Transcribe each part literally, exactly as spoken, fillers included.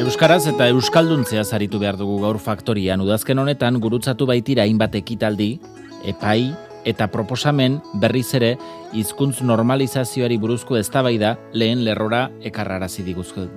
Euskaraz eta euskalduntzea zaritu behar dugu gaur faktorian. Udazken honetan gurutzatu baitira hainbat ekitaldi, epai eta proposamen berriz ere hizkuntz normalizazioari buruzko eztabaida lehen lerrora ekarrarazi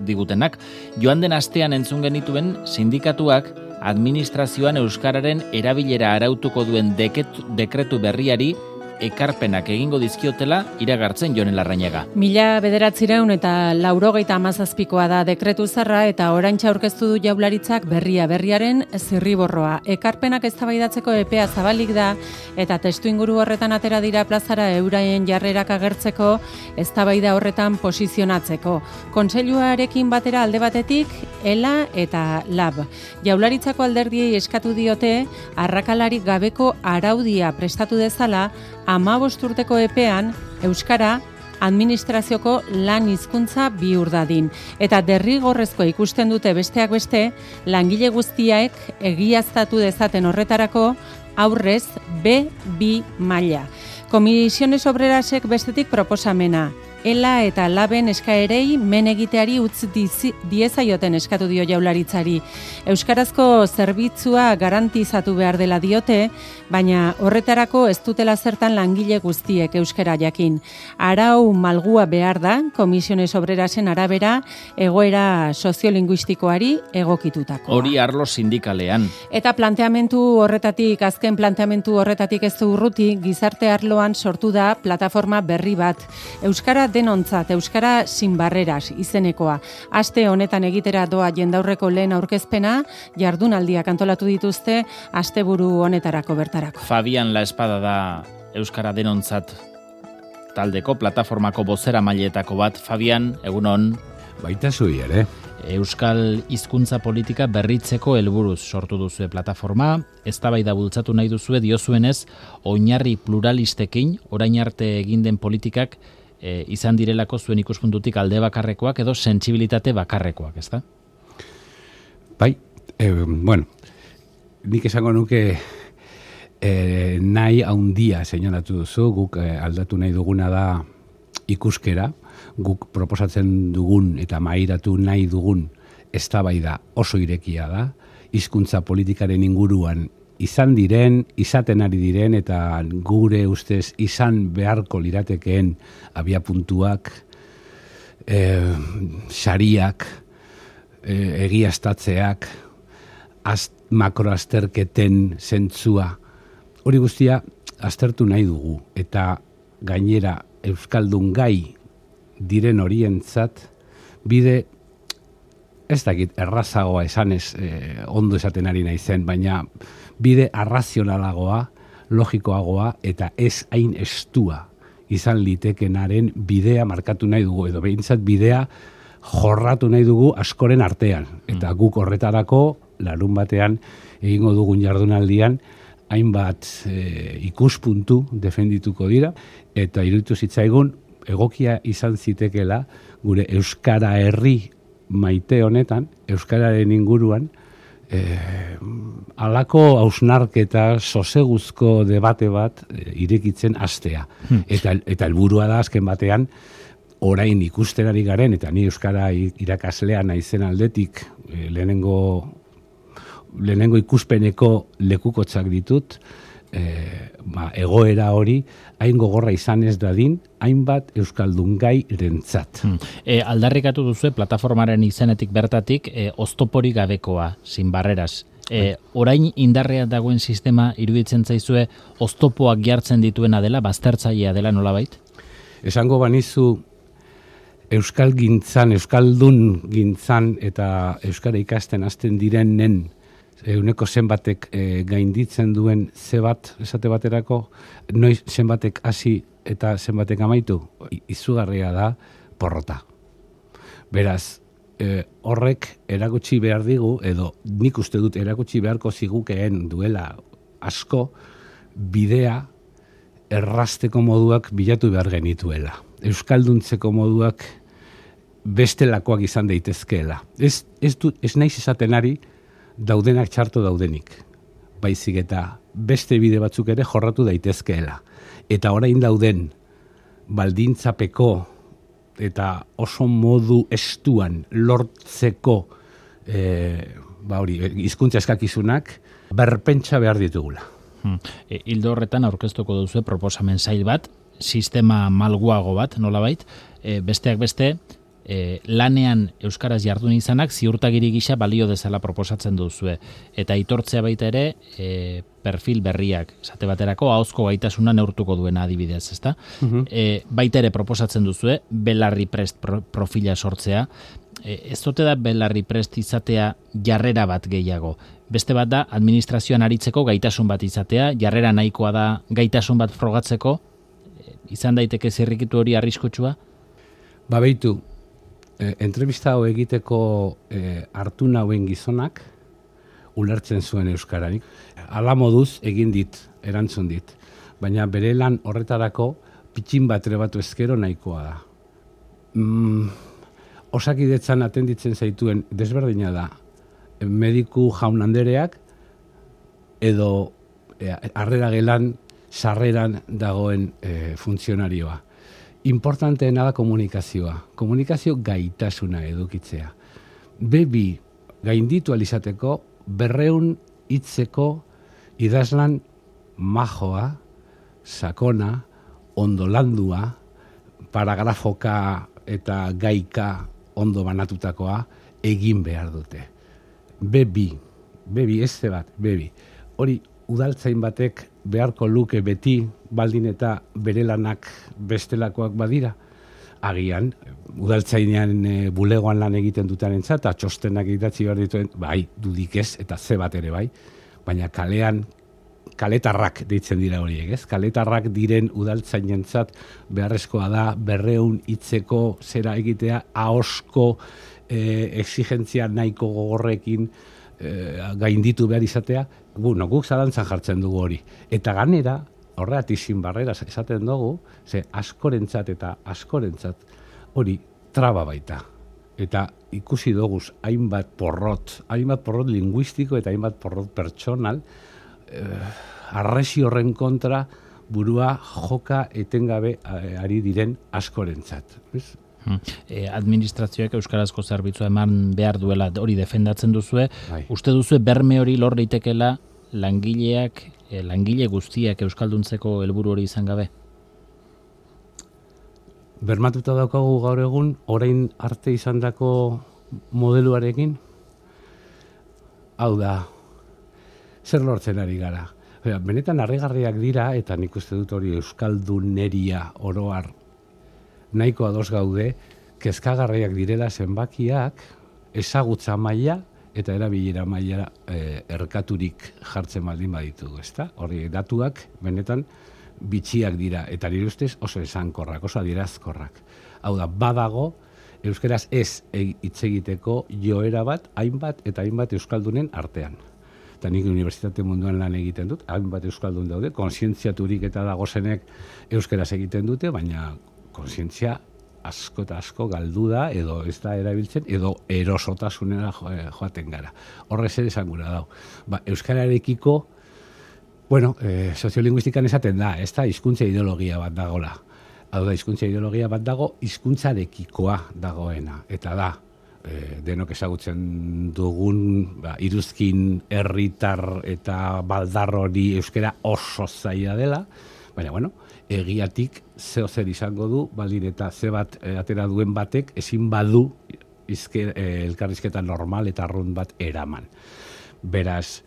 digutenak. Joan den astean entzun genituen sindikatuak administrazioan euskararen erabilera arautuko duen deketu, dekretu berriari ekarpenak egingo dizkiotela iragartzen Jon Larrañaga. Mila bederatzireun eta laurogeita hamazazpikoa da dekretu zarra eta oraintxe aurkeztu du Jaurlaritzak berria berriaren zirriborroa. Ekarpenak eztabaidatzeko epea zabalik da eta testuinguru horretan atera dira plazara euraien jarrerak agertzeko eztabaida horretan posizionatzeko. Kontseiluarekin batera alde batetik ELA eta LAB. Jaurlaritzako alderdiei eskatu diote arrakalarik gabeko araudia prestatu dezala hamabost urteko epean euskara administrazioko lan hizkuntza bihur dadin. Eta derrigorrezko ikusten dute besteak beste langile guztiek egiaztatu dezaten horretarako aurrez be bi maila. Komisiones Obrerasek bestetik proposamena. ELA eta LABen eskaerei men egiteari utz diezaioten eskatu dio Jaurlaritzari. Euskarazko zerbitzua garantizatu behar dela diote, baina horretarako ez dutela zertan langile guztiek euskara jakin. Arau malgua behar da, Komisiones Obrerasen arabera, egoera soziolinguistikoari egokitutako. Hori arlo sindikalean. Eta planteamentu horretatik, azken planteamentu horretatik ez du urruti, gizarte arloan sortu da plataforma berri bat. Euskara denontzat, euskara sin barreras izenekoa. Aste honetan egitera doa jendaurreko lehen aurkezpena, jardunaldiak antolatu dituzte asteburu honetarako bertarako. Fabian La Espada da euskara denontzat taldeko plataformako bozera mailetako bat. Fabian, egunon. Baita zui ere. Euskal hizkuntza politika berritzeko helburuz sortu duzue plataforma, eztabaida bultzatu nahi duzue diozuenez, oinarri pluralistekin orain arte egin den politikak E, izan direlako zuen ikuspuntutik alde bakarrekoak edo sentsibilitate bakarrekoak, ezta? Bai, e, bueno, nik esango nuke e, nahi haundia seinalatu duzu, guk e, aldatu nahi duguna da ikuskera, guk proposatzen dugun eta mahairatu nahi dugun eztabaida oso irekia da, hizkuntza politikaren inguruan izan diren, izaten ari diren, eta gure ustez izan beharko liratekeen abiapuntuak, e, sariak, e, egiaztatzeak, az, makroazterketen zentzua, hori guztia aztertu nahi dugu, eta gainera euskaldun gai diren horientzat bide ez dakit errazagoa esanez eh, ondo esaten ari naizen, baina bide arrazionalagoa, logikoagoa eta ez hain estua izan litekenaren bidea markatu nahi dugu, edo behintzat bidea jorratu nahi dugu askoren artean. Eta guk horretarako, larun batean, egingo dugun jardunaldian, hainbat e, ikuspuntu defendituko dira, eta iruditu zitzaigun egokia izan zitekela gure euskara herri maite honetan, euskararen inguruan, eh, alako hausnarketa soseguzko debate bat eh, irekitzen hastea. Hmm. Eta, eta helburua da azken batean, orain ikustenari garen, eta ni euskara irakaslea naizen aldetik eh, lehenengo, lehenengo ikuspeneko lekukotzak ditut, eh, ba, egoera hori, hain gogorra izan ez dadin, hainbat euskaldun gai rentzat. Hmm. E, aldarrikatu duzu plataformaren izenetik bertatik, e, oztopori gabekoa, sin barreras. E, orain indarrean dagoen sistema iruditzen zaizue oztopoak jartzen dituena dela, baztertzailea dela nolabait? Esango banizu euskal gintzan, euskaldun gintzan eta euskara ikasten hasten direnen euneko zenbatek e, gainditzen duen zebat, esate baterako, noiz zenbatek hasi eta zenbatek amaitu, izugarria da porrota. Beraz, e, horrek erakutsi behar digu, edo nik uste dut erakutsi beharko zigukeen duela asko, bidea errazteko moduak bilatu behar genituela. Euskalduntzeko moduak bestelakoak izan daitezkeela. Ez, ez, du, ez naiz esaten ari, daudenak txarto daudenik, baizik eta beste bide batzuk ere jorratu daitezkeela. Eta orain dauden baldintzapeko eta oso modu estuan lortzeko e, ba hori, hizkuntza eskakizunak berpentsa behar ditugula. Hmm. E, hildo horretan aurkeztuko duzu proposamen zail bat, sistema malguago bat, nolabait, e, besteak beste, e, lanean euskaraz jardun izanak ziurtagiri gisa balio dezala proposatzen duzue. Eta aitortzea baita ere, e, perfil berriak, esate baterako, ahozko gaitasuna neurtuko duena adibidez, ezta? Uh-huh. E, baita ere proposatzen duzue, belarri prest pro, profila sortzea. E, ez zote da belarri prest izatea jarrera bat gehiago. Beste bat da, administrazioan aritzeko gaitasun bat izatea, jarrera nahikoa da gaitasun bat frogatzeko, e, izan daiteke zirrikitu hori arriskutsua? Ba behitu, e, entrevista hau egiteko e, hartu nauen gizonak ulertzen zuen euskararik. Ala moduz egin dit, erantzun dit. Baina bere lan horretarako pitxin bat trebatu ezkero nahikoa da. Mm, osakidetzan atenditzen zaituen desberdina da, mediku jaun andereak edo e, harrera gelan sarreran dagoen e, funtzionarioa. Importanteena da komunikazioa. Komunikazio gaitasuna edukitzea. Bebi gainditu alizateko berreun hitzeko idazlan majoa, sakona, ondolandua, paragrafoka eta gaika ondo banatutakoa egin behar dute. Bebi, bebi, ez bat, bebi. Hori udaltzain batek beharko luke beti baldin eta bere lanak bestelakoak badira. Agian, udaltzainean e, bulegoan lan egiten dutenentzat, eta txostenak idatzi behar dituen, bai, dudik ez, eta ze bat ere bai, baina kalean, kaletarrak deitzen dira horiek, ez? Kaletarrak diren udaltzainentzat beharrezkoa da berreun hitzeko zera egitea, ahosko e, exigentzia nahiko gogorrekin e, gainditu behar izatea, gu, no, guk zalantzan jartzen dugu hori. Eta ganera, horregatik sin barrera esaten dugu, ze askorentzat eta askorentzat hori traba baita. Eta ikusi dugu hainbat porrot, hainbat porrot linguistiko eta hainbat porrot pertsonal, eh, arresi horren kontra burua joka etengabe ari diren askorentzat. Ez? Hmm. E, administrazioek euskarazko zerbitzua eman behar duela hori defendatzen duzue. Bai. Uste duzue berme hori lor daitekela langileak, e, langile guztiak euskalduntzeko helburu hori izan gabe? Bermatuta daukagu gaur egun, orain arte izandako modeluarekin, hau da, zer lortzen ari gara. Benetan harrigarriak dira, eta nik uste dut hori euskalduneria oroar nahiko ados gaude, kezkagarriak direla zenbakiak, ezagutza maila eta erabilera maila e, erkaturik jartzen baldin baditugu, ezta? Hori datuak benetan bitxiak dira, eta nire ustez oso esankorrak, oso adierazkorrak. Hau da, badago, euskeraz ez hitz egiteko joera bat, hainbat eta hainbat euskaldunen artean. Eta nik unibertsitate munduan lan egiten dut, hainbat euskaldun daude, kontzientziaturik eta dagozenek euskeraz egiten dute, baina kontzientzia asko eta asko galdu da, edo ez da erabiltzen, edo erosotasunera joaten gara. Horrez ere esan gura dau. Ba, euskararekiko, bueno, eh, soziolinguistikan esaten da, ez da hizkuntza ideologia bat dagola. Hau da, hizkuntza ideologia bat dago, hizkuntzarekikoa dagoena. Eta da, eh, denok ezagutzen dugun, ba, iruzkin herritar eta baldar hori euskara oso zaila dela, baina, bueno, egiatik zeo zer izango du, baldin eta ze bat e, atera duen batek ezin badu izke, e, elkarrizketa normal eta arrunt bat eraman. Beraz,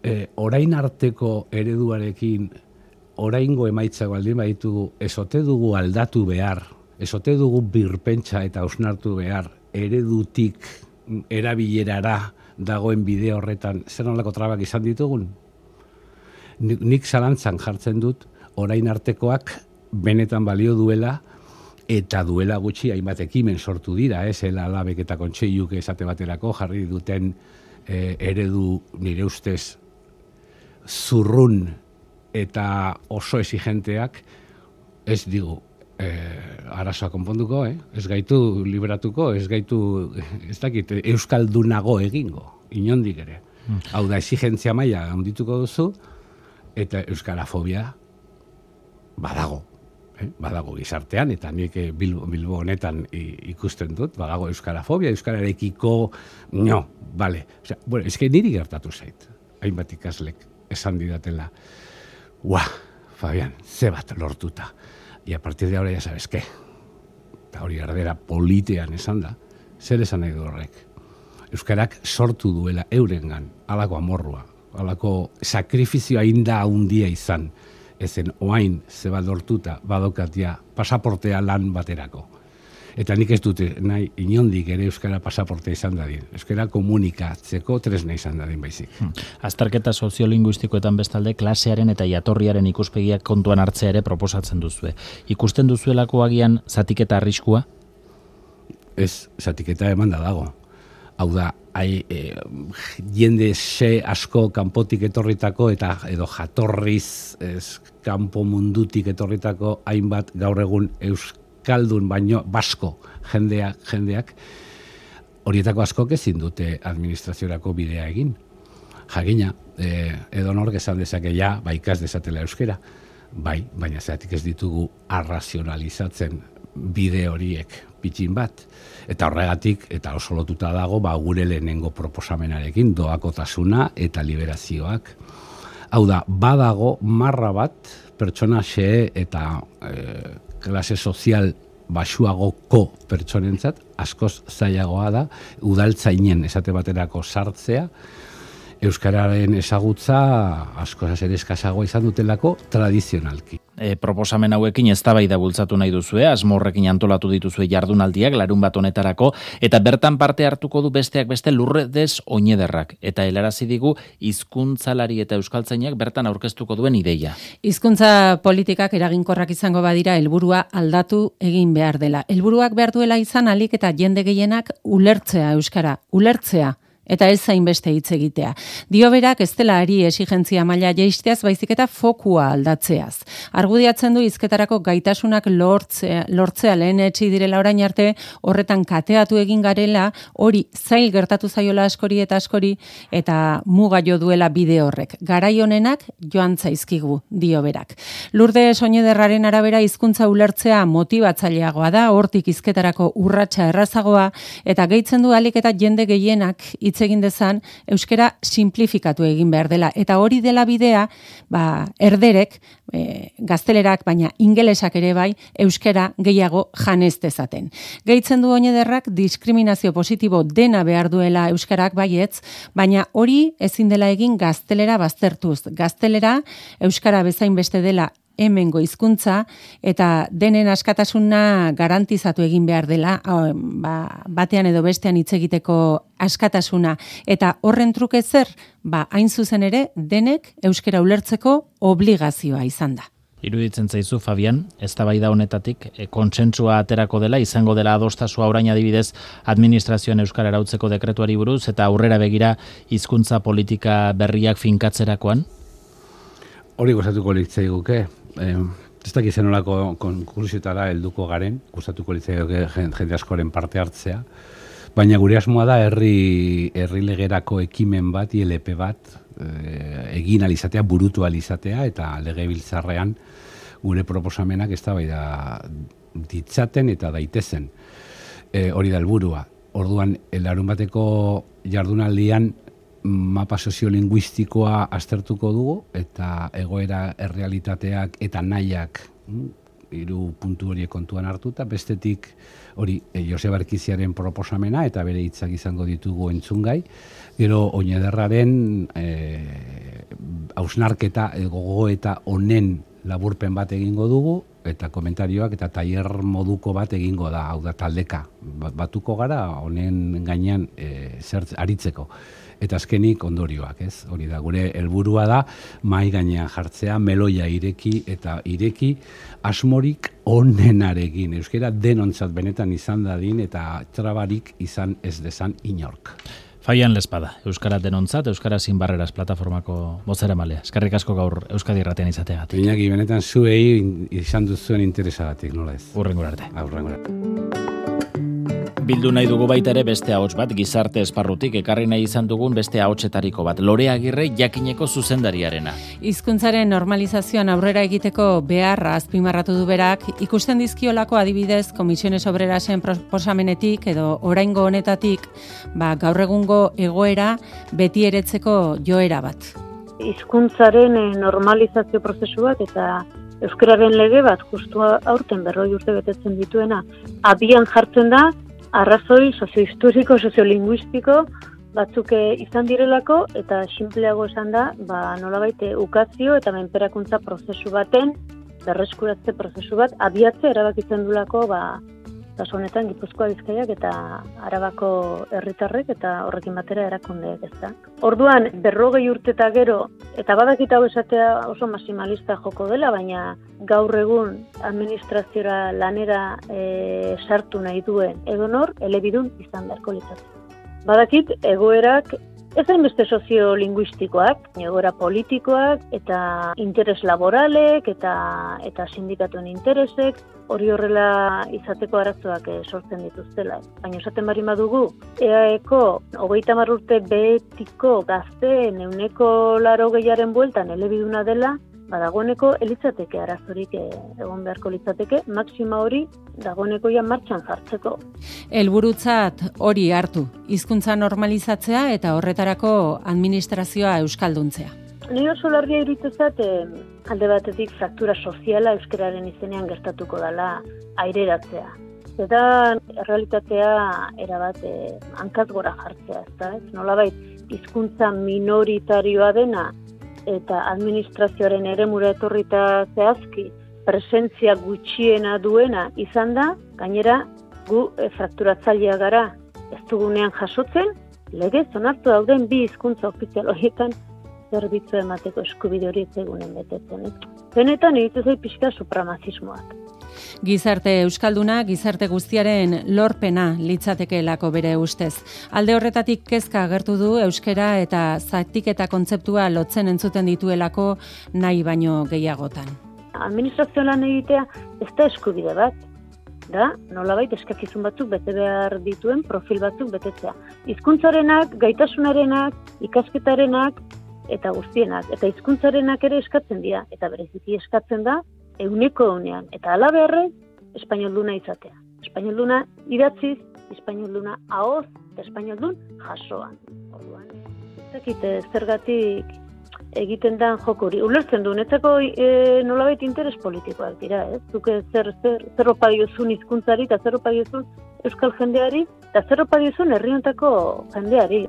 e, orain arteko ereduarekin, oraingo emaitzak baldin baditugu, ezote dugu aldatu behar, ezote dugu birpentsa eta hausnartu behar, eredutik erabilerara dagoen bide horretan, zer nolako trabak izan ditugun? Nik, nik zalantzan jartzen dut, orain artekoak benetan balio duela, eta duela gutxi hainbat ekimen sortu dira, ez, el alabek eta kontseiluak esate baterako jarri duten e, eredu nire ustez zurrun eta oso exigenteak, ez digu, e, arazoa konponduko, eh? Ez gaitu liberatuko, ez gaitu, ez dakit, euskaldunago egingo, inondik ere. Mm. Hau da, exigentzia maila handituko duzu, eta euskarafobia badago. eh? Badago gizartean, eta nik Bilbo, Bilbo honetan ikusten dut, badago euskarafobia, euskararekiko, no, bale. Osea, bueno, eske niri gertatu zait, hainbat ikaslek esan didatela, ua, Fabian, ze bat lortuta. Y a partir de ahora ya sabes qué. Eta hori erdera politean esan da, zer esan nahi du horrek. Euskarak sortu duela eurengan, halako amorrua, halako sakrifizioa inda handia izan, ezen oain zeba lortuta badokatia pasaportea lan baterako. Eta nik ez dute nahi inondik ere euskara pasaportea izan dadin. Euskara komunikatzeko tresna izan dadin baizik. Hmm. Azterketa soziolinguistikoetan bestalde klasearen eta jatorriaren ikuspegiak kontuan hartzea ere proposatzen duzue. Ikusten duzuelako agian zatiketa arriskua? Ez, zatiketa eman da dago. Hau da, hai, e, jende xe asko kanpotik etorritako eta edo jatorriz ez, kanpo mundutik etorritako hainbat gaur egun euskaldun baino basko jendeak, jendeak horietako askok ezin dute administraziorako bidea egin. Jakina, e, edo nork esan dezake ja, ba ikas dezatela euskera, bai, baina zeratik ez ditugu arrazionalizatzen bide horiek pitxin bat. Eta horregatik, eta oso lotuta dago, ba, gure lehenengo proposamenarekin, doakotasuna eta liberazioak. Hau da, badago marra bat, pertsona xe eta e, klase sozial basuagoko pertsonentzat, askoz zailagoa da, udaltzainen esate baterako sartzea, euskararen ezagutza askoz ere eskasagoa izan dutelako tradizionalki. E, proposamen hauekin eztabaida bultzatu nahi duzue, asmo horrekin antolatu dituzue jardunaldiak larun bat honetarako, eta bertan parte hartuko du besteak beste Lurdes Oñederrak, eta helarazi digu hizkuntzalari eta euskaltzainak bertan aurkeztuko duen ideia. Hizkuntza politikak eraginkorrak izango badira helburua aldatu egin behar dela. Helburuak behar duela izan alik eta jende gehienak ulertzea euskara, ulertzea. Eta ez zainbeste hitz egitea. Dio berak ez dela ari exigentzia maila jaisteaz, baizik eta fokua aldatzeaz. Argudiatzen du hizketarako gaitasunak lortzea, lortzea lehen etxi direla orain arte, horretan kateatu egin garela, hori zail gertatu zaiola askori eta askori, eta muga jo duela bide horrek. Garai honenak joan zaizkigu, dio berak. Lurdes Oñederraren arabera hizkuntza ulertzea motibatzaileagoa da, hortik hizketarako urratsa errazagoa, eta gehitzen du alik eta jende gehienak hitz egin dezan, euskera simplifikatu egin behar dela. Eta hori dela bidea, ba, erderek, e, gaztelerak, baina ingelesak ere bai, euskera gehiago janez dezaten. Gehitzen du Oñederrak diskriminazio positibo dena behar duela euskarak baietz, baina hori ezin dela egin gaztelera baztertuz. Gaztelera, euskara bezain beste dela hemengo hizkuntza eta denen askatasuna garantizatu egin behar dela, ba, batean edo bestean hitz egiteko askatasuna, eta horren truke zer, ba, hain zuzen ere denek euskara ulertzeko obligazioa izan da. Iruditzen zaizu, Fabian, eztabaida honetatik e, kontsentsua aterako dela, izango dela adostasua orain adibidez administrazioan euskara arautzeko dekretuari buruz eta aurrera begira hizkuntza politika berriak finkatzerakoan? Hori gozatuko litzaiguke, eh, ez dakit zenolako konkursiotara helduko garen, gustatuko litzaiguke jende askoren parte hartzea, baina gure asmoa da herri herri legerako ekimen bat, I L P bat, eh, egin alizatea, burutu alizatea, eta legebiltzarrean gure proposamenak eztabaida ditzaten eta daitezen. E, hori da helburua. Orduan, larun bateko jardunaldian mapa soziolinguistikoa aztertuko dugu, eta egoera errealitateak eta nahiak hiru puntu horiek kontuan hartuta, bestetik hori e, Joseba Arkiziaren proposamena eta bere hitzak izango ditugu entzungai, gero Oñederraren e, hausnarketa, e, gogoeta honen laburpen bat egingo dugu, eta komentarioak eta tailer moduko bat egingo da, hau da taldeka, batuko gara honen gainean e, zertz aritzeko. Eta azkenik ondorioak, ez? Hori da, gure helburua da, mahai gainean jartzea, meloia ireki eta ireki asmorik onenarekin. Euskara denontzat benetan izan dadin eta trabarik izan ez dezan inork. Fabian Lespada, Euskara denontzat, Euskara sin barreras plataformako bozeramale. Eskerrik asko gaur Euskadi irratean izateagatik. Iñaki, benetan zuei izan duzuen interesagatik, nola ez? Hurrengora arte. Hurrengora arte. Bildu nahi dugu baita ere beste ahots bat, gizarte esparrutik ekarri nahi izan dugun beste ahotsetariko bat, Lore Agirre jakineko zuzendariarena. Hizkuntzaren normalizazioan aurrera egiteko beharra azpimarratu du berak, ikusten dizkiolako adibidez Komisiones Obrerasen proposamenetik edo oraingo honetatik, ba, gaur egungo egoera beti eretzeko joera bat. Hizkuntzaren normalizazio prozesu bat eta euskararen lege bat justu aurten berroi urte betetzen dituena abian jartzen da arrazoi soziohistoriko, soziolinguistiko batzuk izan direlako eta sinpleago esan da, ba, nolabait ukazio eta menperakuntza prozesu baten berreskuratze prozesu bat abiatze erabakitzen dulako, ba, kasu honetan Gipuzkoa, Bizkaiak eta Arabako herritarrek eta horrekin batera erakundeek, ezta. Orduan berrogei urte eta gero, eta badakit hau esatea oso maximalista joko dela, baina gaur egun administraziora lanera e, sartu nahi duen edonor elebidun izan beharko litzateke. Badakit egoerak ez hainbeste soziolinguistikoak, egoera politikoak eta interes laboralek eta eta sindikatuen interesek hori horrela izateko arazoak e, sortzen dituztela. Baina esaten bari badugu, E A Eko hogeita hamar urte betiko gazteen ehuneko laurogeiaren bueltan elebiduna dela, badagoeneko elitzateke arazorik egon beharko litzateke, maxima hori dagoeneko ja martxan jartzeko. Helburutzat hori hartu, hizkuntza normalizatzea eta horretarako administrazioa euskalduntzea. Ni oso larria iruditzat alde batetik fraktura soziala euskararen izenean gertatuko dela aireratzea. Eta errealitatea erabat eh, hankaz gora jartzea, ezta? Ez nolabait hizkuntza minoritarioa dena eta administrazioaren eremura etorrita zehazki presentzia gutxiena duena izan da, gainera gu e, frakturatzailea gara ez dugunean jasotzen, legez onartu dauden bi hizkuntza ofizial horietan zerbitzu emateko eskubide hori egunen betetzen. Benetan iruditzen zait pixka supremazismoak. Gizarte euskalduna, gizarte guztiaren lorpena litzatekeelako bere ustez. Alde horretatik kezka agertu du euskara eta zatiketa kontzeptua lotzen entzuten dituelako nahi baino gehiagotan. Administrazio lan egitea ez da eskubide bat, da nolabait eskakizun batzuk bete behar dituen profil batzuk betetzea. Hizkuntzarenak, gaitasunarenak, ikasketarenak eta guztienak, eta hizkuntzarenak ere eskatzen dira, eta bereziki eskatzen da euneko eunean, eta halabeharrez, espainolduna izatea. Espainolduna idatziz, espainolduna ahoz, eta espainoldun jasoan. Orduan, ezakite zergatik egiten dan joko hori. Ulertzen du, netzako e, nolabait interes politikoak dira, ez? Zuke zer, zer, zer opa diozun hizkuntzari, eta zer opa diozun euskal jendeari, eta zer opa diozun herri hontako jendeari.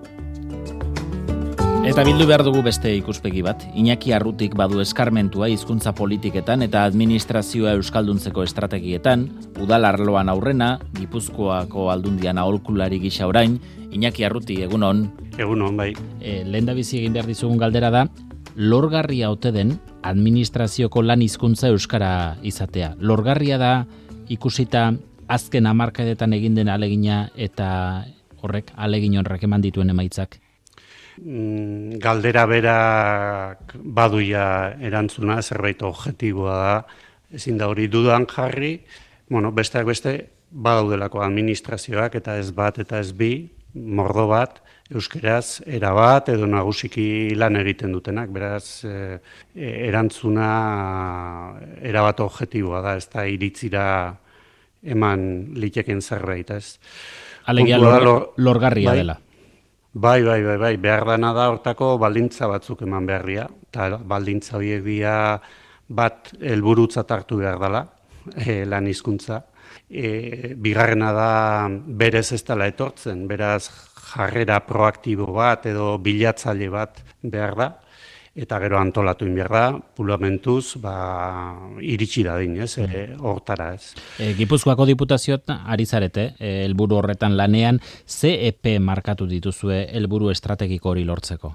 Eta bildu behar dugu beste ikuspegi bat. Iñaki Arrutik badu eskarmentua hizkuntza politiketan eta administrazioa euskalduntzeko estrategietan, udal arloan aurrena, Gipuzkoako aldundian aholkulari gisa orain. Iñaki Arruti, egunon. Egunon, bai. E, lehendabizi egin behar dizugun galdera da, lorgarria ote den administrazioko lan hizkuntza euskara izatea. Lorgarria da ikusita azken hamarkadetan egin den alegina eta horrek alegin horrek eman dituen emaitzak. Galdera berak baduia erantzuna, zerbait objektiboa da, ezin da hori dudan jarri, bueno, besteak beste badaudelako administrazioak eta ez bat eta ez bi, mordo bat, euskeraz erabat edo nagusiki lan egiten dutenak, beraz e, erantzuna erabat objektiboa da, ez da iritzira eman liteken zerbait, ez. Alegia lor, lorgarria bai, dela. Bai, bai, bai, bai, behar dana da hortako baldintza batzuk eman beharria, eta baldintza horiek dira bat helburutzat hartu behar dela, e, lan hizkuntza. E, bigarrena da berez ez dela etortzen, beraz jarrera proaktibo bat edo bilatzaile bat behar da, eta gero antolatu behar da, pulamentuz, ba, iritsi da din, ez, e, hortara ez. E, Gipuzkoako diputazioet ari zarete, e, helburu horretan lanean, ze epe markatu dituzue helburu estrategiko hori lortzeko?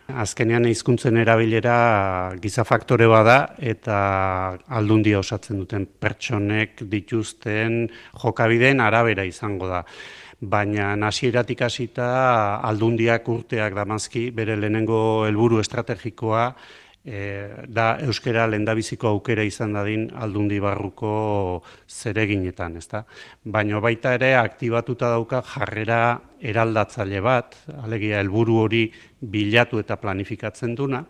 Azkenean hizkuntzen erabilera giza faktore bada eta aldundia osatzen duten pertsonek dituzten jokabideen arabera izango da. Baina hasieratik hasita aldundiak urteak damazki bere lehenengo helburu estrategikoa e, da euskara lehendabiziko aukera izan dadin aldundi barruko zereginetan, ezta? Baina baita ere aktibatuta dauka jarrera eraldatzaile bat, alegia helburu hori bilatu eta planifikatzen duna,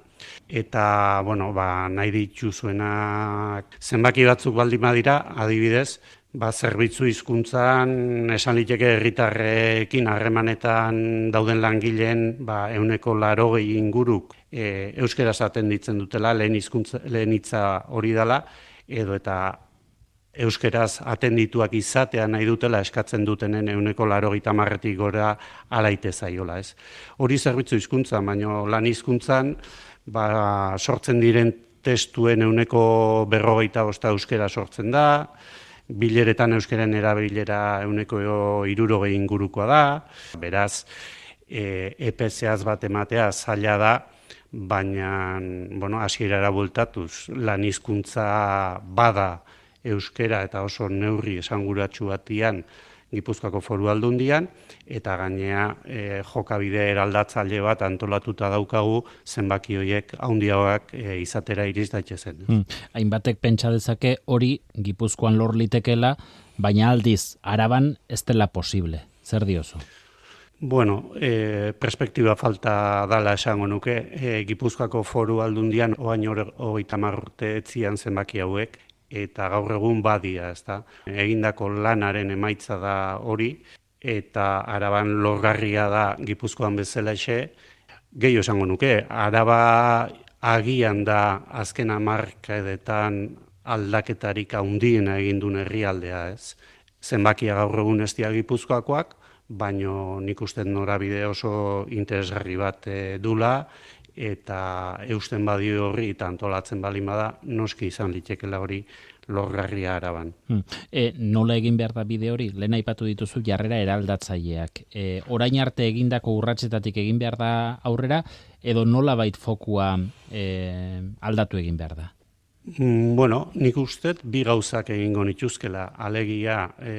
eta bueno, ba, nahi dituzuenak zenbaki batzuk baldin badira, adibidez, ba, zerbitzu hizkuntzan esan liteke herritarrekin harremanetan dauden langileen ba, ehuneko laurogei inguruk e, euskaraz atenditzen dutela, lehen hizkuntza lehen hitza hori dela, edo eta euskeraz atendituak izatea nahi dutela eskatzen dutenen ehuneko laurogeita hamarretik gora alaite zaiola, ez? Hori zerbitzu hizkuntza, baina lan hizkuntzan ba, sortzen diren testuen ehuneko berrogeita bosta euskera sortzen da, bileretan euskaren erabilera ehuneko hirurogei ingurukoa da, beraz, e, E P zehaz bat ematea zaila da, baina, bueno, hasierara bueltatuz, lan hizkuntza bada euskera eta oso neurri esanguratsu batian Gipuzkoako Foru Aldundian, eta gainea e, jokabide eraldatzaile bat antolatuta daukagu zenbaki horiek handiagoak e, izatera iriz daitezen. Hmm. Hainbatek pentsa dezake hori Gipuzkoan lor litekela, baina aldiz Araban ez dela posible. Zer diozu? Bueno, e, perspektiba falta dala esango nuke. E, Gipuzkoako Foru Aldundian oain hogeita hamar urte etzian zenbaki hauek, eta gaur egun badia, ezta? Egindako lanaren emaitza da hori, eta Araban lorgarria da Gipuzkoan bezalaxe. Gehiago esango nuke, Araba agian da azken hamarkadetan aldaketarik handiena egin duen herrialdea, ez? Zenbakia gaur egun ez dira Gipuzkoakoak, baino nik uste norabide oso interesgarri bat e, dula, eta eusten badio horri eta antolatzen balin bada, noski izan litekela hori lorgarria Araban. Hmm. E, nola egin behar da bide hori? Lehen aipatu dituzu jarrera eraldatzaileak. E, orain arte egindako urratsetatik egin behar da aurrera, edo nola bait fokua e, aldatu egin behar da? Bueno, nik uste bi gauzak egingo nituzkela, alegia e,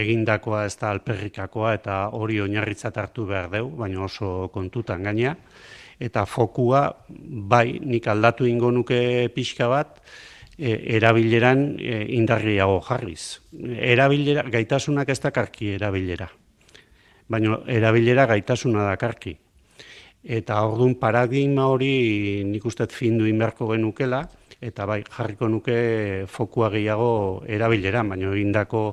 egindakoa ez da alperrikakoa eta hori oinarritzat hartu behar deu, baina oso kontutan gaina, eta fokua bai nik aldatu ingo nuke pixka bat e, erabileran e, indarriago jarriz. Erabilera, gaitasunak ez dakarki erabilera, baina erabilera gaitasuna dakarki. Eta orduan paradigma hori nik uste findu inberko genukela, eta bai jarriko nuke fokua gehiago erabilera, baina egindako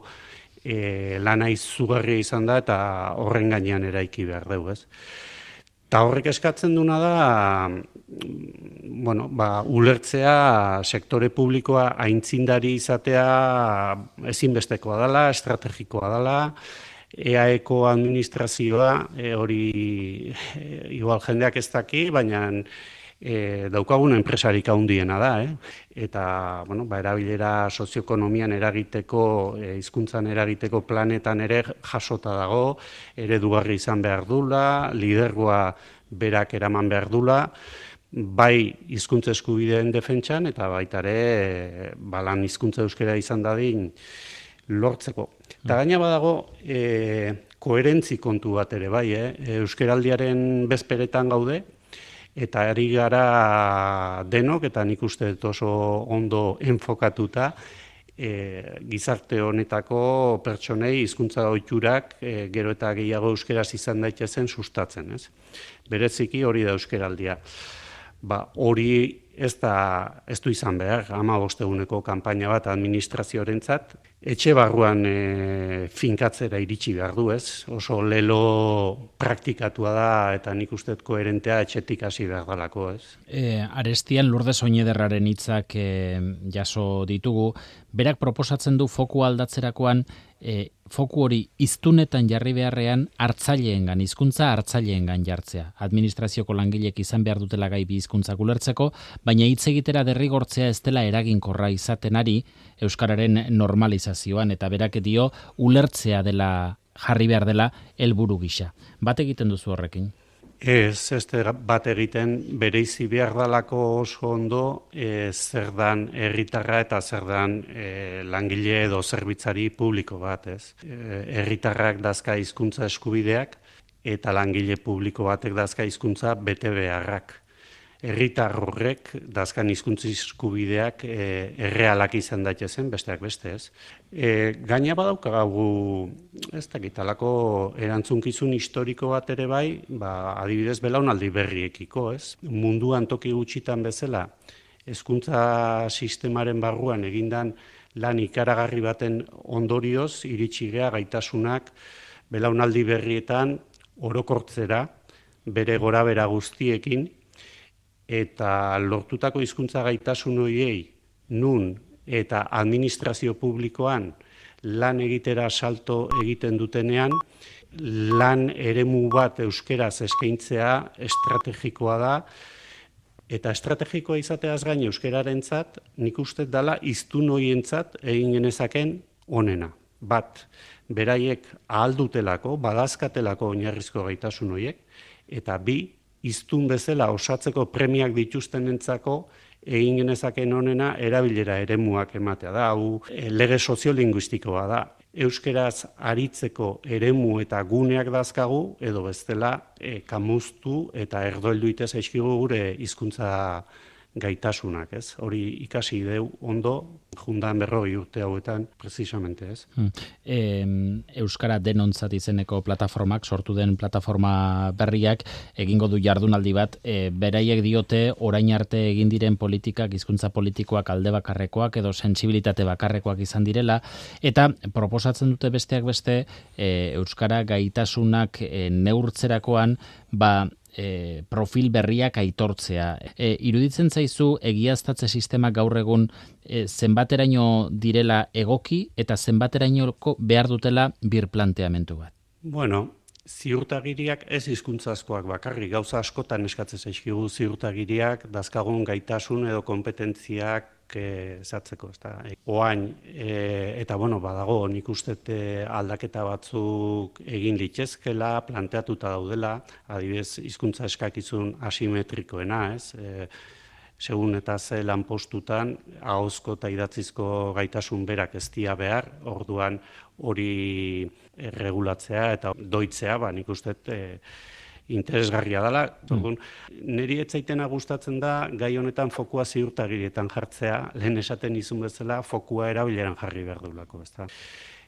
e, lana izugarria izan da eta horren gainean eraiki behar dugu, ez? Eta horrek eskatzen duna da, bueno, ba, ulertzea sektore publikoa aintzindari izatea ezinbestekoa dela, estrategikoa dela, eaeko administrazioa, e, hori e, igual jendeak ez daki, baina e, daukagun enpresarik handiena da, eh? Eta, bueno, ba, erabilera sozioekonomian eragiteko, e, hizkuntzan eragiteko planetan ere jasota dago, eredugarri izan behar dula, lidergoa berak eraman behar dula, bai hizkuntza eskubideen defentsan eta baita ere ba, lan hizkuntza euskara izan dadin lortzeko. Eta gaina badago e, koherentzi kontu bat ere bai, eh? Euskaraldiaren bezperetan gaude, eta ari gara denok, eta nik uste dut oso ondo enfokatuta, e, gizarte honetako pertsonei hizkuntza ohiturak e, gero eta gehiago euskeraz izan daitezen sustatzen, ez? Bereziki hori da euskaraldia. Ba, hori ez da ez du izan behar, hamabost eguneko kanpaina bat administrazioarentzat, etxe barruan e, finkatzera iritsi behar du, ez? Oso lelo praktikatua da eta nik uste koherentea etxetik hasi behar dalako, ez? E, Arestian Lourdes Oñederraren hitzak e, jaso ditugu, berak proposatzen du foku aldatzerakoan e, foku hori hiztunetan jarri beharrean hartzaileengan, hizkuntza hartzaileengan jartzea. Administrazioko langileek izan behar dutela gai bi hizkuntzak ulertzeko, baina hitz egitera derrigortzea ez dela eraginkorra izaten ari euskararen normalizazioan, eta berak dio ulertzea dela jarri behar dela helburu gisa. Bat egiten duzu horrekin? Ez, ez bat egiten bereizi behar dalako oso ondo e, zer dan herritarra eta zer dan e, langile edo zerbitzari publiko bat, ez? Herritarrak dazka hizkuntza eskubideak eta langile publiko batek dazka hizkuntza bete beharrak. herritar horrek dazkan hizkuntza eskubideak e, errealak izan daitezen, besteak beste, ez. E, gaina badaukagu, ez dakit, alako erantzunkizun historiko bat ere bai, ba, adibidez belaunaldi berriekiko, ez. Munduan toki gutxitan bezala, hezkuntza sistemaren barruan egindan lan ikaragarri baten ondorioz, iritsi gea gaitasunak belaunaldi berrietan orokortzera, bere gorabera guztiekin, eta lortutako hizkuntza gaitasun horiei nun eta administrazio publikoan lan egitera salto egiten dutenean, lan eremu bat euskeraz eskaintzea estrategikoa da, eta estrategikoa izateaz gain euskerarentzat, nik uste dela hiztun horientzat egin genezaken onena. Bat, beraiek ahaldutelako, badazkatelako oinarrizko gaitasun horiek, eta bi, hiztun bezala osatzeko premiak dituztenentzako egin genezaken onena erabilera eremuak ematea da. Hau lege soziolinguistikoa da. Euskeraz aritzeko eremu eta guneak dazkagu, edo bestela e, kamuztu eta erdoildu ite zaizkigu gure hizkuntza gaitasunak, ez? Hori ikasi deu ondo, jundan berrogei urte hauetan, precisamente, ez? Hmm. E, Euskara denontzat izeneko plataformak, sortu den plataforma berriak, egingo du jardunaldi bat, e, beraiek diote orain arte egin diren politikak, hizkuntza politikoak alde bakarrekoak edo sentsibilitate bakarrekoak izan direla, eta proposatzen dute besteak beste, e, Euskara gaitasunak e, neurtzerakoan, ba, E, profil berriak aitortzea. E, iruditzen zaizu egiaztatze sistemak gaur egun e, zenbateraino direla egoki eta zenbaterainoko behar dutela birplanteamentu bat? Bueno, ziurtagiriak ez hizkuntzazkoak bakarrik, gauza askotan eskatzen zaizkigu ziurtagiriak dazkagun gaitasun edo kompetentziak esatzeko, ez da. Oain, e, eta bueno, badago, nik uste aldaketa batzuk egin litezkela, planteatuta daudela, adibidez, hizkuntza eskakizun asimetrikoena, ez? E, segun eta ze lanpostutan, ahozko eta idatzizko gaitasun berak ez dia behar, orduan hori regulatzea eta doitzea, ba, nik uste e, interesgarria dela. Mm. Niri etzaitena gustatzen da gai honetan fokua ziurtagirietan jartzea, lehen esaten izun bezala fokua erabileran jarri behar duelako, ezta.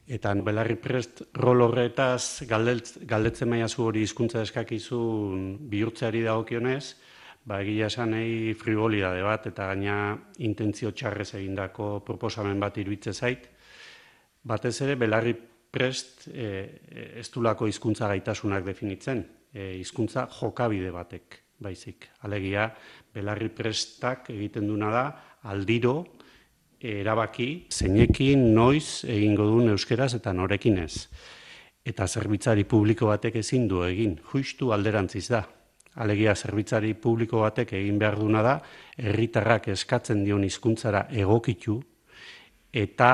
Eta Belarri Prest rol horretaz galdetzen maiazu hori hizkuntza eskakizun bihurtzeari dagokionez, ba egia esanei frivolidade bat eta gaina intentzio txarrez egindako proposamen bat iruditzen zait. Batez ere Belarri Prest e, ez dulako hizkuntza gaitasunak definitzen. Hizkuntza jokabide batek, baizik. Alegia, Belarri Prestak egiten duna da, aldiro, erabaki, zeinekin, noiz, egingo duen euskeraz eta norekin ez. Eta zerbitzari publiko batek ezin du egin, justu alderantziz da. Alegia, zerbitzari publiko batek egin behar duna da, herritarrak eskatzen dion hizkuntzara egokitu, eta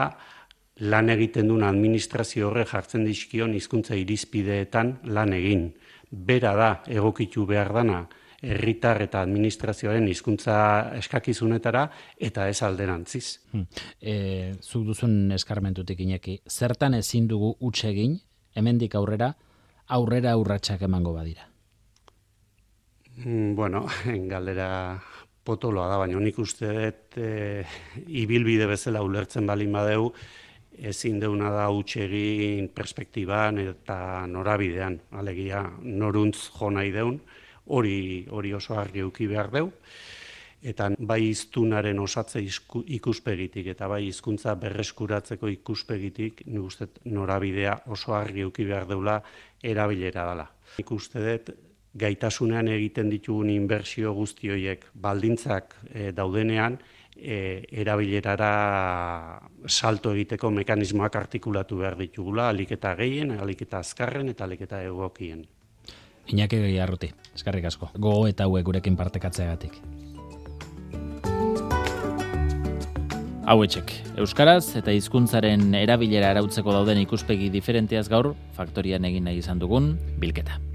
lan egiten duen administrazio horrek jartzen dizkion hizkuntza irizpideetan lan egin. Bera da egokitu behar dana herritar eta administrazioaren hizkuntza eskakizunetara eta ez alderantziz. Hmm. E, zuk duzun eskarmentutik Iñaki, zertan ezin dugu huts egin, hemendik aurrera, aurrera urratsak emango badira? Mm, bueno, galdera potoloa da, baina nik uste dut e, ibilbide bezala ulertzen balin badeu, ezin deuna da huts egin perspektiban eta norabidean, alegia noruntz jo nahi deun, hori, hori oso argi eduki behar deu, eta bai hiztunaren osatze ikuspegitik eta bai hizkuntza berreskuratzeko ikuspegitik, nik uste norabidea oso argi eduki behar deula erabilera dela. Nik uste dut gaitasunean egiten ditugun inbertsio guzti horiek baldintzak e, daudenean, E, erabilerara salto egiteko mekanismoak artikulatu behar ditugula, alik eta gehien, alik eta azkarren eta alik eta egokien. Iñaki Arruti, eskerrik asko. Gogo eta hauek gurekin partekatzeagatik. Hauetxek, euskaraz eta hizkuntzaren erabilera arautzeko dauden ikuspegi diferenteaz gaur, faktorian egin nahi izan dugun bilketa.